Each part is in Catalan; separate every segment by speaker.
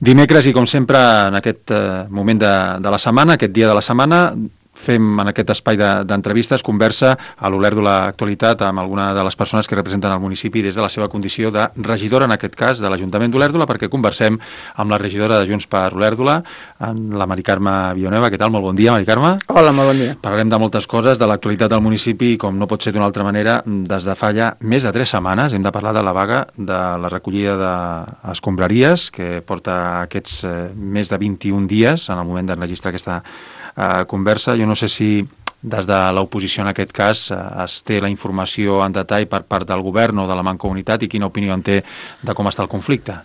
Speaker 1: Dimecres i com sempre en aquest moment de la setmana, aquest dia de la setmana, fem en aquest espai d'entrevistes, conversa a l'Olèrdola Actualitat amb alguna de les persones que representen el municipi des de la seva condició de regidora, en aquest cas, de l'Ajuntament d'Olèrdola, perquè conversem amb la regidora de Junts per Olèrdola, la Mari Carme Villanueva. Què tal? Molt bon dia, Mari Carme.
Speaker 2: Hola, molt bon dia.
Speaker 1: Parlarem de moltes coses, de l'actualitat del municipi, com no pot ser d'una altra manera, des de fa ja més de 3 setmanes hem de parlar de la vaga de la recollida d'escombraries, que porta aquests més de 21 dies en el moment d'enregistrar aquesta conversa. Jo no sé si des de l'oposició en aquest cas es té la informació en detall per part del govern o de la Mancomunitat i quina opinió en té de com està el conflicte.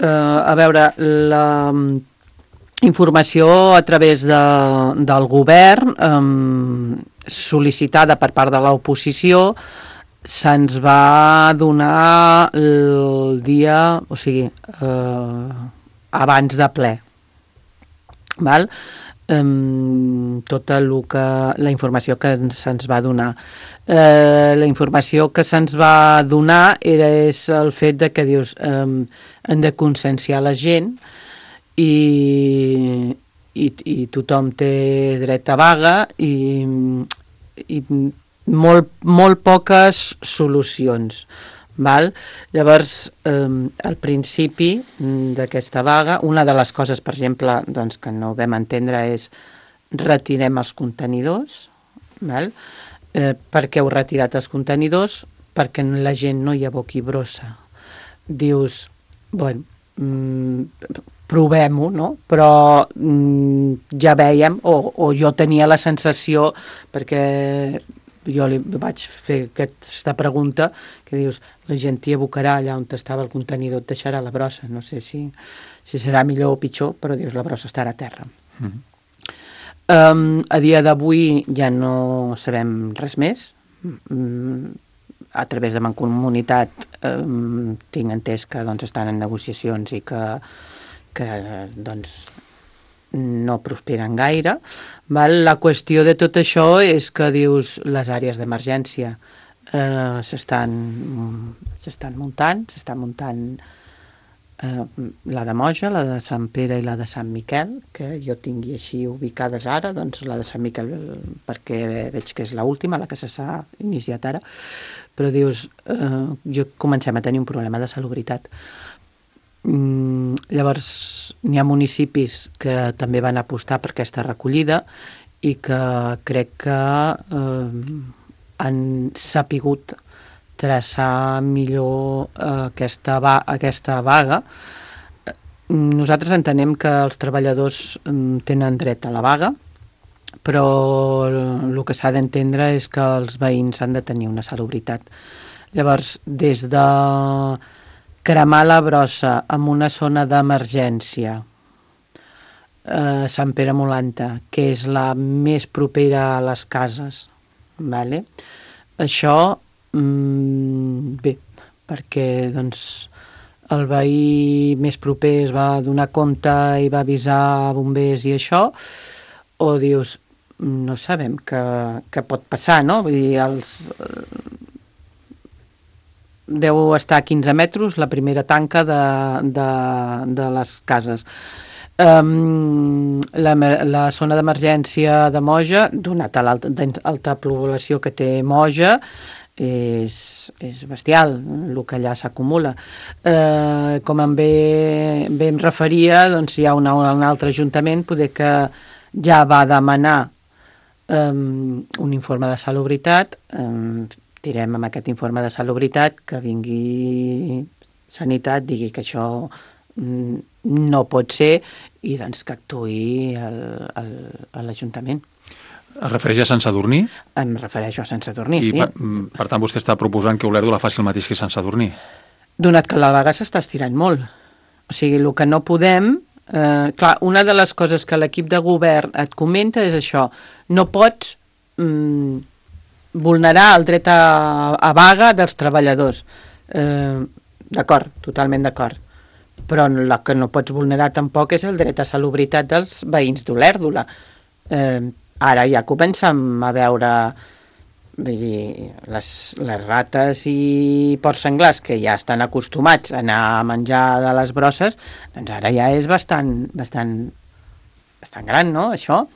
Speaker 2: A veure, la informació a través del govern sol·licitada per part de l'oposició se'ns va donar el dia, o sigui, abans de ple. Val? Tota la informació que se'ns va donar. La informació que se'ns va donar és el fet de que dius hem de conscienciar la gent i tothom té dret a vaga i molt poques solucions. Val? Llavors, al principi d'aquesta vaga, una de les coses, per exemple, doncs, que no vam entendre és retirem els contenidors. Val? Per què heu retirat els contenidors? Perquè la gent no hi aboqui brossa. Dius, bueno, provem-ho, no? Però ja vèiem, o jo tenia la sensació, perquè jo li vaig fer aquesta pregunta, que dius, la gent t'hi abocarà allà on estava el contenidor, et deixarà la brossa. No sé si serà millor o pitjor, però dius, la brossa estarà a terra. A dia d'avui ja no sabem res més. A través de Mancomunitat tinc entès que doncs, estan en negociacions i que doncs, no prosperen gaire. Val? La qüestió de tot això és que dius les àrees d'emergència s'estan muntant la de Moja, la de Sant Pere i la de Sant Miquel, que jo tingui així ubicades ara, doncs la de Sant Miquel perquè veig que és l'última, la que s'ha iniciat ara, però dius, comencem a tenir un problema de salubritat. Llavors n'hi ha municipis que també van apostar per aquesta recollida i que crec que han sapigut traçar millor aquesta vaga. Nosaltres entenem que els treballadors tenen dret a la vaga, però el que s'ha d'entendre és que els veïns han de tenir una salubritat. Llavors, des de cremar la brossa en una zona d'emergència, Sant Pere Molanta, que és la més propera a les cases, vale? Això, bé, perquè doncs, el veí més proper es va donar compte i va avisar bombers i això, o dius, no sabem què pot passar, no? Vull dir, deu estar a 15 metres la primera tanca de les cases. La zona d'emergència de Moja, donat a l'alta població que té Moja, és bestial el que allà s'acumula. Com bé em referia, doncs hi ha un altre ajuntament poder que ja va demanar un informe de salubritat. Tirem amb aquest informe de salubritat, que vingui Sanitat, digui que això no pot ser i doncs que actuï l'Ajuntament.
Speaker 1: Es refereix a Sant Sadurní?
Speaker 2: Em refereixo a Sant Sadurní, sí.
Speaker 1: I per tant vostè està proposant que Olèrdola faci el mateix que Sant Sadurní?
Speaker 2: Donat que la vaga s'està estirant molt. O sigui, el que no podem... clar, una de les coses que l'equip de govern et comenta és això. No pots vulnerar el dret a vaga dels treballadors. D'acord, totalment d'acord. Però el que no pots vulnerar tampoc és el dret a salubritat dels veïns d'Olèrdola. Ara ja comencem a veure vull dir, les rates i porcs senglars que ja estan acostumats a anar a menjar de les brosses, doncs ara ja és bastant gran, no?, això.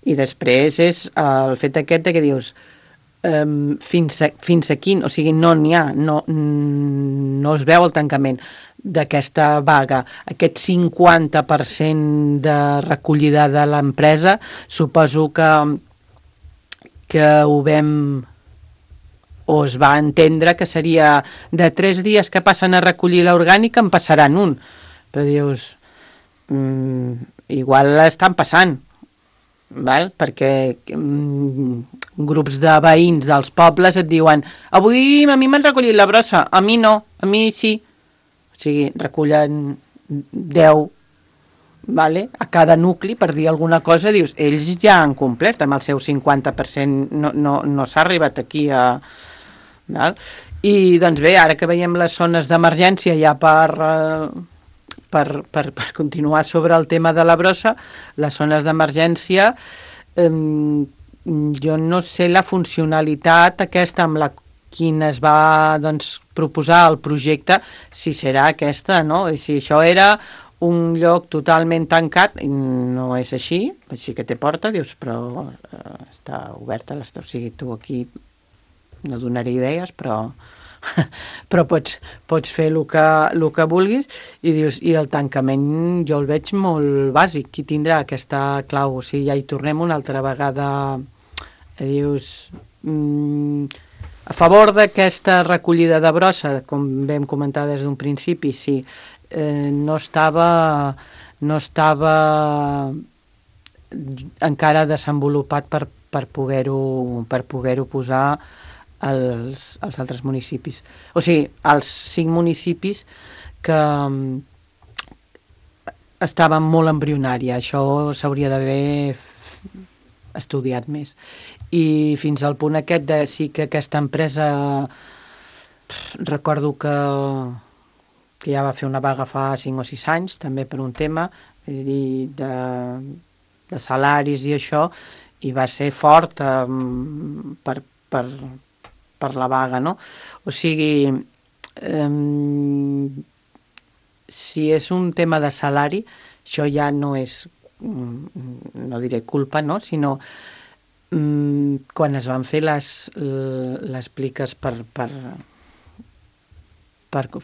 Speaker 2: I després és el fet aquest de que dius fins a quin, o sigui, no n'hi ha, no es veu el tancament d'aquesta vaga, aquest 50% de recollida de l'empresa. Suposo que ho vam o es va entendre que seria de 3 dies que passen a recollir l'orgànica en passaran un, però dius igual estan passant, val? Perquè grups de veïns dels pobles et diuen avui a mi m'han recollit la brossa, a mi no, a mi sí, o sigui, recullen 10, vale? A cada nucli, per dir alguna cosa, dius, ells ja han complert amb el seu 50%, no s'ha arribat aquí a... Val? I doncs bé, ara que veiem les zones d'emergència ja per continuar sobre el tema de la brossa, les zones d'emergència, jo no sé la funcionalitat aquesta amb la quina es va proposar el projecte, si serà aquesta, no? I si això era un lloc totalment tancat, no és així, sí que té porta, dius, però està oberta, o sigui, tu aquí no donaré idees, però pots fer el que vulguis, i dius, i el tancament jo el veig molt bàsic. Qui tindrà aquesta clau? O sigui, ja hi tornem una altra vegada, dius, a favor d'aquesta recollida de brossa, com vam comentar des d'un principi, sí, no estava encara desenvolupat per poder-ho posar als altres municipis. O sigui, als 5 municipis que estaven molt embrionària. Això s'hauria d'haver estudiat més. I fins al punt aquest de sí que aquesta empresa recordo que ja va fer una vaga fa 5 o 6 anys, també per un tema de salaris i això, i va ser fort per la vaga, no? O sigui, si és un tema de salari, això ja no és, no diré culpa, no? Sinó quan es van fer les pliques per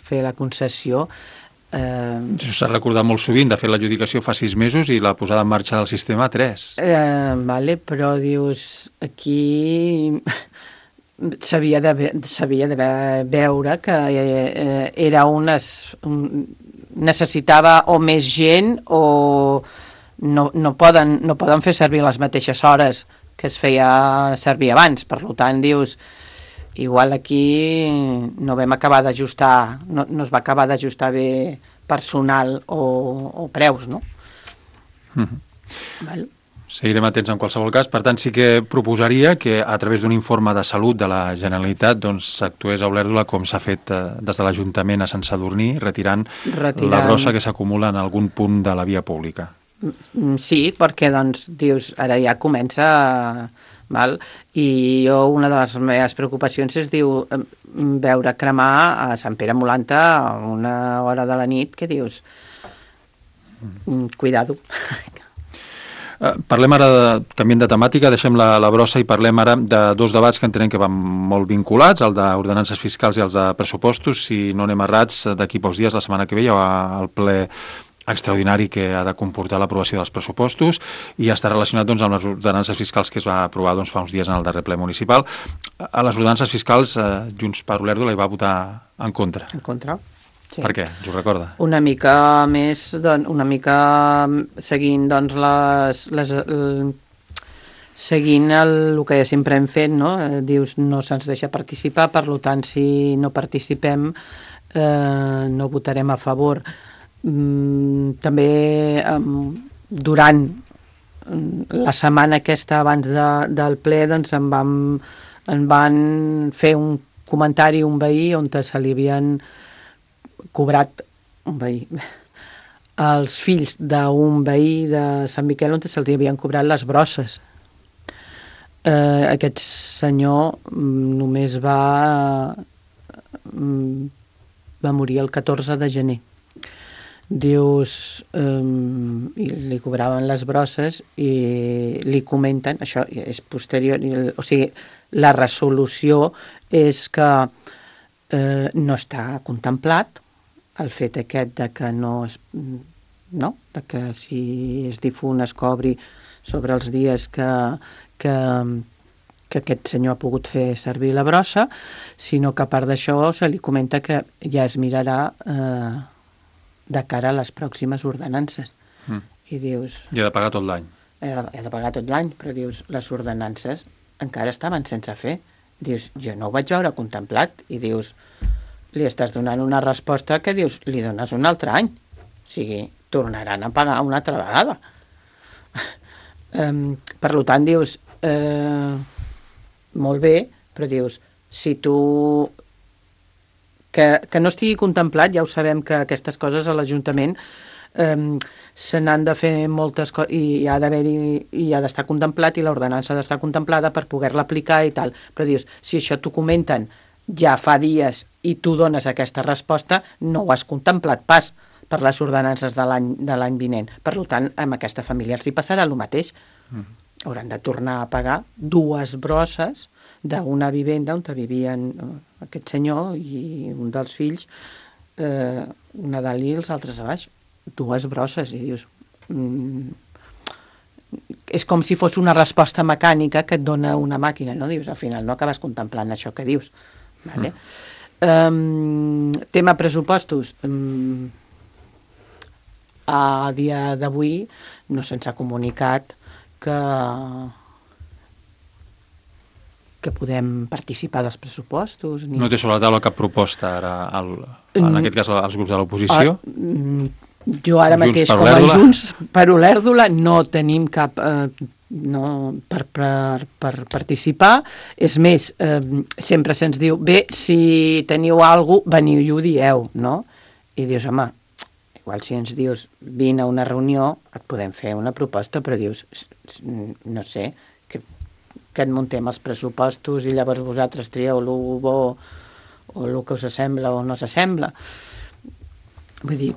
Speaker 2: fer la concessió.
Speaker 1: Això s'ha recordat molt sovint, de fer l'adjudicació fa 6 mesos i la posada en marxa del sistema 3.
Speaker 2: Vale, però dius, aquí s'havia de veure que era necessitava o més gent o no poden fer servir les mateixes hores que es feia servir abans. Per tant, dius, igual aquí no vam acabar d'ajustar, no es va acabar d'ajustar bé personal o preus, no? Val.
Speaker 1: Seguirem atents en qualsevol cas. Per tant, sí que proposaria que a través d'un informe de salut de la Generalitat s'actués a Olèrdola com s'ha fet des de l'Ajuntament a Sant Sadurní, retirant la brossa que s'acumula en algun punt de la via pública.
Speaker 2: Sí, perquè dius, ara ja comença, val? I jo una de les meves preocupacions és veure cremar a Sant Pere Molanta a una hora de la nit, que dius, cuidado.
Speaker 1: Parlem ara, canviem de temàtica, deixem la brossa i parlem ara de 2 debats que entenem que van molt vinculats, el d'ordenances fiscals i els de pressupostos. Si no anem errats, d'aquí pocs dies, la setmana que ve, hi ha el ple extraordinari que ha de comportar l'aprovació dels pressupostos i està relacionat amb les ordenances fiscals que es va aprovar fa uns dies en el darrer ple municipal. A les ordenances fiscals, Junts per Olèrdola hi va votar en contra.
Speaker 2: En contra? Sí.
Speaker 1: Per què? Us ho recorda?
Speaker 2: Una mica més, una mica seguint seguint el que sempre hem fet, no? Dius, no se'ns deixa participar, per tant, si no participem, no votarem a favor. També durant la setmana aquesta abans del ple en van fer un comentari un veí on se li havien cobrat un veí els fills d'un veí de Sant Miquel on se'ls havien cobrat les brosses. Aquest senyor només va morir el 14 de gener. Dius, i li cobraven les brosses i li comenten, això és posterior, o sigui, la resolució és que no està contemplat el fet aquest de que de que si és difunt es cobri sobre els dies que aquest senyor ha pogut fer servir la brossa, sinó que a part d'això se li comenta que ja es mirarà de cara a les pròximes ordenances. I dius...
Speaker 1: I ha de pagar tot l'any.
Speaker 2: Ha de pagar tot l'any, però dius, les ordenances encara estaven sense fer. Dius, jo no ho vaig veure contemplat. I dius, li estàs donant una resposta que dius, li dones un altre any. O sigui, tornaran a pagar una altra vegada. Per tant, dius, molt bé, però dius, si tu... Que no estigui contemplat, ja ho sabem que aquestes coses a l'Ajuntament se n'han de fer moltes coses i ha d'estar contemplat i l'ordenança ha d'estar contemplada per poder-la aplicar i tal. Però dius, si això t'ho comenten ja fa dies i tu dones aquesta resposta, no ho has contemplat pas per les ordenances de l'any vinent. Per tant, amb aquesta família els hi passarà el mateix. Hauran de tornar a pagar 2 brosses d'una vivenda on vivien aquest senyor i un dels fills, una dalt i els altres a baix. 2 brosses, i dius... és com si fos una resposta mecànica que et dona una màquina, no? Dius, al final no acabes contemplant això que dius. Vale? Tema pressupostos. A dia d'avui no se'ns ha comunicat que podem participar dels pressupostos.
Speaker 1: No té sobre la taula cap proposta ara, en aquest cas, als grups de l'oposició?
Speaker 2: Jo ara mateix, com a Junts per Olèrdola, no tenim cap... per participar. És més, sempre se'ns diu, bé, si teniu alguna cosa, veniu i ho dieu, no? I dius, home, igual si ens dius vine a una reunió et podem fer una proposta, però dius, no sé, que et muntem els pressupostos i llavors vosaltres trieu el bo o el que us sembla o no s'assembla. Vull dir,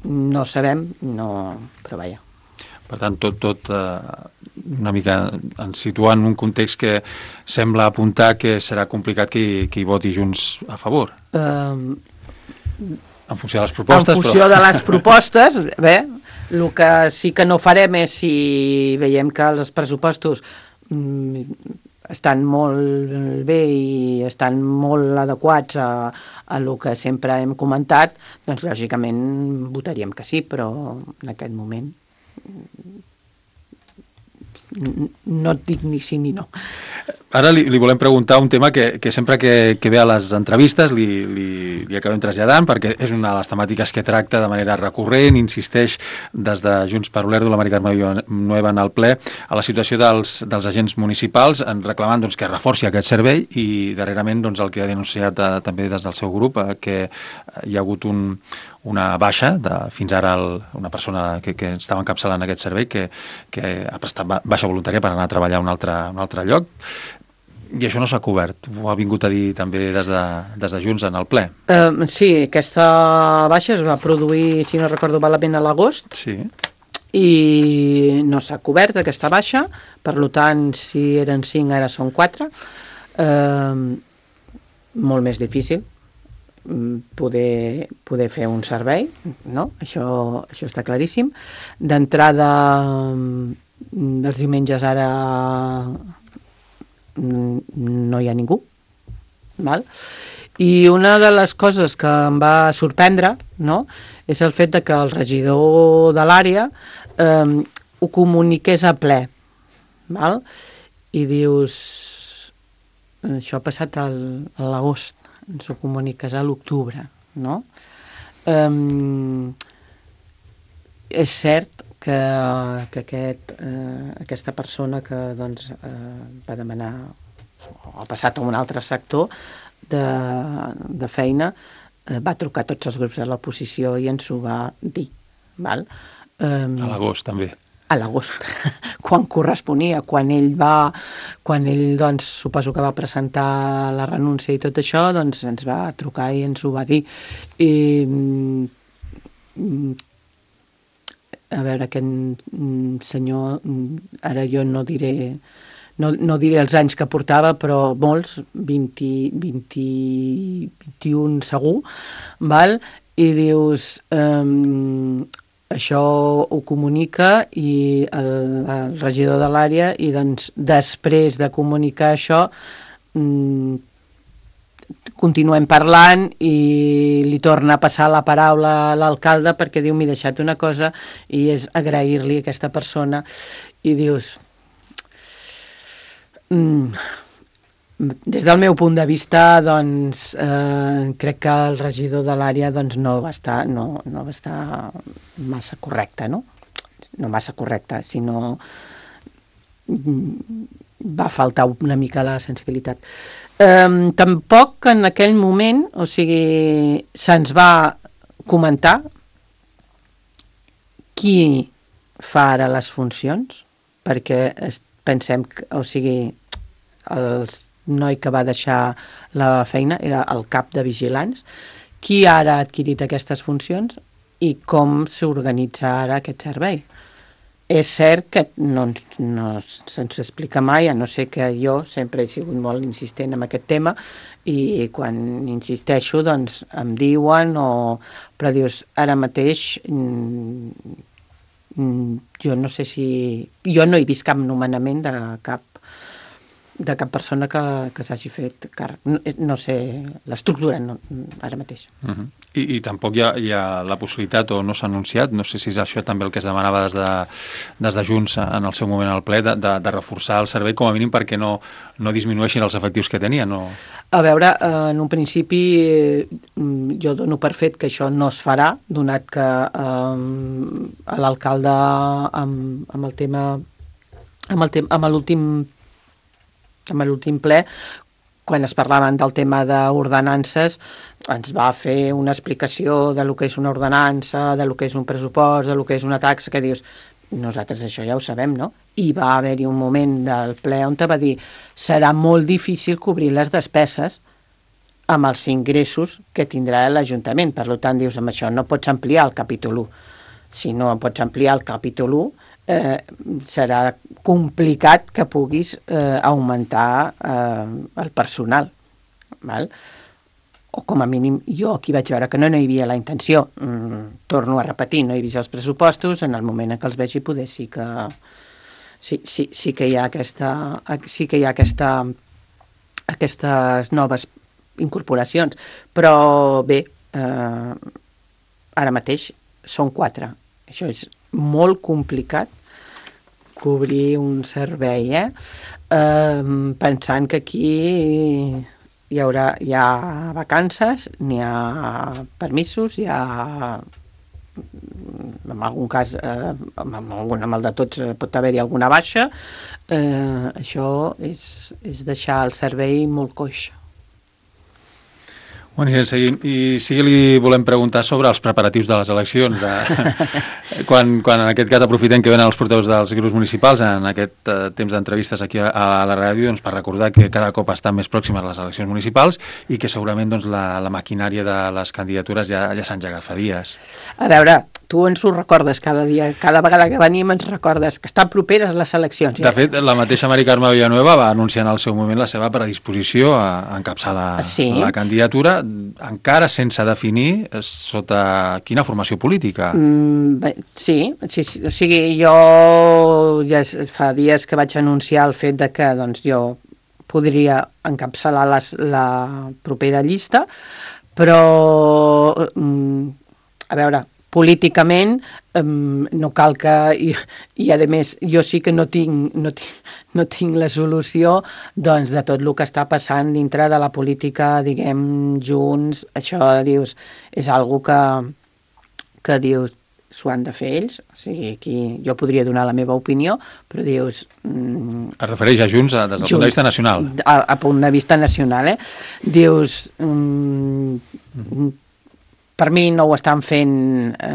Speaker 2: no sabem, però vaja.
Speaker 1: Per tant, tot una mica ens situa en un context que sembla apuntar que serà complicat que hi voti Junts a favor. En funció de les propostes.
Speaker 2: En funció de les propostes, bé, el que sí que no farem és, si veiem que els pressupostos estan molt bé i estan molt adequats a el que sempre hem comentat, doncs lògicament votaríem que sí, però en aquest moment no et dic ni sí ni no.
Speaker 1: Ara li volem preguntar un tema que sempre que ve a les entrevistes li acabem traslladant, perquè és una de les temàtiques que tracta de manera recurrent, insisteix des de Junts per Olèrdola, la Mari Carme Nueva en el ple, a la situació dels agents municipals, reclamant que es reforci aquest servei, i darrerament el que ha denunciat també des del seu grup, que hi ha hagut una baixa, fins ara una persona que estava encapçalant aquest servei, que ha prestat baixa voluntària per anar a treballar a un altre lloc, i això no s'ha cobert. Ho ha vingut a dir també des de Junts en el ple.
Speaker 2: Sí, aquesta baixa es va produir, si no recordo malament, a l'agost,
Speaker 1: sí,
Speaker 2: i no s'ha cobert aquesta baixa, per tant, si eren 5, ara són 4. Molt més difícil poder fer un servei, no? Això està claríssim. D'entrada, els diumenges ara no hi ha ningú, val? I una de les coses que em va sorprendre, no?, és el fet de que el regidor de l'àrea ho comuniqués a ple, val? I dius, això ha passat a l'agost, ens ho comuniques a l'octubre, no? És cert que aquesta persona que va demanar o ha passat a un altre sector de feina va trucar a tots els grups de l'oposició i ens ho va dir, val?
Speaker 1: A l'agost també.
Speaker 2: a l'agost, quan corresponia, quan ell doncs, suposo que va presentar la renúncia i tot això, doncs ens va trucar i ens ho va dir. I, a veure, aquest senyor, ara jo no diré els anys que portava, però molts, 21 segur, val? I dius, això ho comunica i el regidor de l'àrea, i doncs després de comunicar això continuem parlant i li torna a passar la paraula a l'alcalde perquè diu, m'he deixat una cosa, i és agrair-li a aquesta persona, i dius, des del meu punt de vista, doncs, crec que el regidor de l'àrea doncs, no va estar massa correcte, no? No massa correcte, sinó va faltar una mica la sensibilitat. Tampoc en aquell moment, o sigui, se'ns va comentar qui fa ara les funcions, perquè pensem que, o sigui, el noi que va deixar la feina era el cap de vigilants, qui ara ha adquirit aquestes funcions i com s'organitza ara aquest servei. És cert que no se'ns explica mai, a no ser que jo sempre he sigut molt insistent en aquest tema, i quan insisteixo doncs em diuen, però dius, ara mateix jo no sé si... Jo no he vist cap nomenament de cap persona que s'hagi fet càrrec. No sé l'estructura ara mateix.
Speaker 1: I tampoc hi ha la possibilitat, o no s'ha anunciat, no sé si és això també el que es demanava des de Junts en el seu moment al ple, de reforçar el servei com a mínim perquè no disminueixin els efectius que tenien.
Speaker 2: A veure, en un principi jo dono per fet que això no es farà, donat que l'alcalde amb el tema amb l'últim ple, quan es parlaven del tema d'ordenances, ens va fer una explicació de lo que és una ordenança, de lo que és un pressupost, de lo que és una taxa, que dius, nosaltres això ja ho sabem, no? I va haver-hi un moment del ple on te va dir, serà molt difícil cobrir les despeses amb els ingressos que tindrà l'Ajuntament. Per tant, dius, amb això no pots ampliar el capítol 1. Si no pots ampliar el capítol 1, serà complicat que puguis augmentar el personal, val? O com a mínim jo aquí vaig veure que no hi havia la intenció. Torno a repetir, no he vist els pressupostos, en el moment en què els vegi poder sí que hi ha aquestes noves incorporacions, però bé, ara mateix són 4. Això és molt complicat, cobrir un servei, pensant que aquí hi ha vacances, n'hi ha permisos, hi ha, en algun cas, amb el de tots pot haver-hi alguna baixa. Això és deixar el servei molt coix.
Speaker 1: Bueno, i seguim. I sí que li volem preguntar sobre els preparatius de les eleccions. Quan en aquest cas aprofitem que venen els portaveus dels grups municipals en aquest temps d'entrevistes aquí a la ràdio, doncs, per recordar que cada cop estan més pròximes les eleccions municipals i que segurament doncs, la maquinària de les candidatures ja s'ha engegat fa dies.
Speaker 2: A veure, tu ens ho recordes cada dia, cada vegada que venim ens recordes que estan properes les eleccions.
Speaker 1: De fet, la mateixa Mari Carme Villanueva va anunciar en el seu moment la seva predisposició a encapçar la candidatura, encara sense definir sota quina formació política.
Speaker 2: Sí, o sigui, jo ja fa dies que vaig anunciar el fet de que doncs, jo podria encapçalar la propera llista, però a veure, políticament no cal que... I a més, jo sí que no tinc la solució doncs, de tot el que està passant dintre de la política, diguem, Junts. Això, dius, és algo que dius, s'ho han de fer ells. O sigui, aquí jo podria donar la meva opinió, però dius...
Speaker 1: Es refereix a Junts des del punt de vista nacional.
Speaker 2: A punt de vista nacional, Dius... per mi no ho estan fent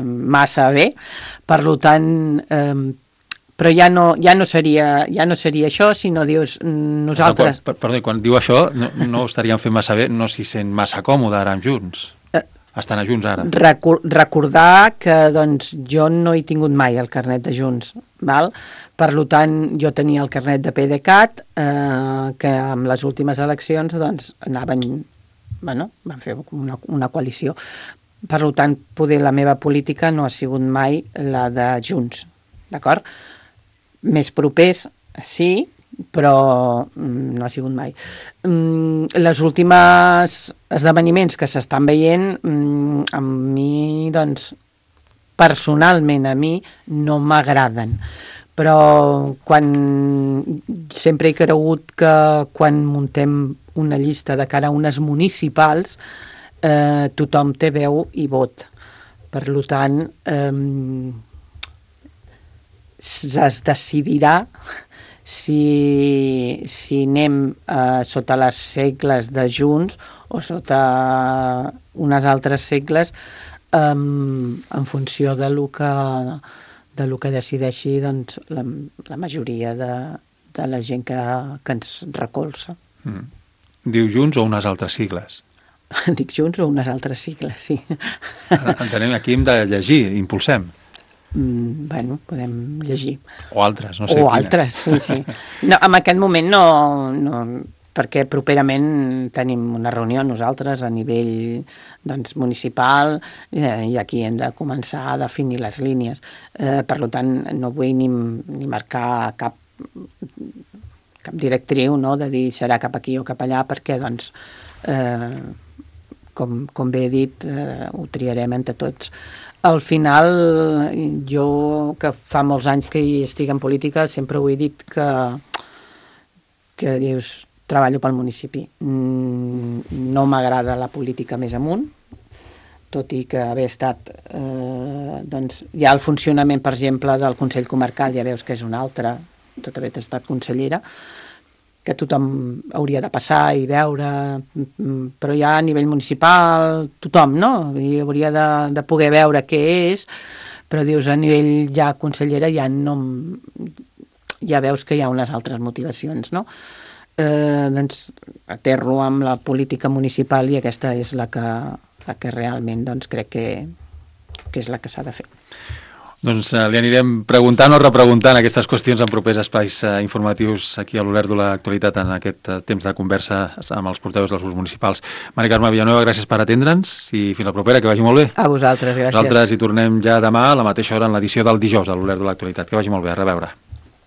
Speaker 2: massa bé, per tant, però ja no seria això, sinó dius nosaltres...
Speaker 1: Perdó, quan diu això no estaríem fent massa bé, no s'hi sent massa còmode ara amb Junts. Estan a Junts ara.
Speaker 2: Recordar que doncs, jo no he tingut mai el carnet de Junts, val? Per tant, jo tenia el carnet de PDeCAT, que amb les últimes eleccions doncs, van fer una coalició. Per tant, poder la meva política no ha sigut mai la de Junts, d'acord? Més propers, sí, però no ha sigut mai. Les últimes esdeveniments que s'estan veient, a mi, doncs, personalment a mi, no m'agraden. Però sempre he cregut que quan muntem una llista de cara a unes municipals, tothom té veu i vot. Per tant, es decidirà si anem sota les segles de Junts o sota unes altres segles en funció de lo que decideixi doncs, la majoria de la gent que ens recolza.
Speaker 1: Diu Junts o unes altres sigles?
Speaker 2: Dic Junts o unes altres sigles, sí.
Speaker 1: Entenem, aquí hem de llegir, impulsem.
Speaker 2: Bueno, podem llegir.
Speaker 1: O altres, no sé
Speaker 2: quines.
Speaker 1: O
Speaker 2: altres, sí. No, en aquest moment no, perquè properament tenim una reunió nosaltres a nivell doncs, municipal i aquí hem de començar a definir les línies. Per tant, no vull ni marcar cap directriu, no?, de dir serà cap aquí o cap allà, perquè doncs, com bé he dit, ho triarem entre tots. Al final, jo, que fa molts anys que hi estic en política, sempre ho he dit que dius, treballo pel municipi. No m'agrada la política més amunt, tot i que haver estat, doncs, ja el funcionament, per exemple, del Consell Comarcal, ja veus que és un altre, tot haver estat consellera, que tothom hauria de passar i veure, però ja a nivell municipal, tothom, no? I hauria de poder veure què és, però dius, a nivell ja consellera ja no... ja veus que hi ha unes altres motivacions, no? Doncs aterro amb la política municipal i aquesta és la que realment doncs, crec que és la que s'ha de fer.
Speaker 1: Doncs li anirem preguntant o repreguntant aquestes qüestions en propers espais informatius aquí a l'Olert de l'Actualitat en aquest temps de conversa amb els portaveus dels grups municipals. Mari Carme Villanueva, gràcies per atendre'ns i fins la propera, que vagi molt bé.
Speaker 2: A vosaltres, gràcies.
Speaker 1: Nosaltres hi tornem ja demà a la mateixa hora en l'edició del dijous de l'Olert de l'Actualitat. Que vagi molt bé, a reveure.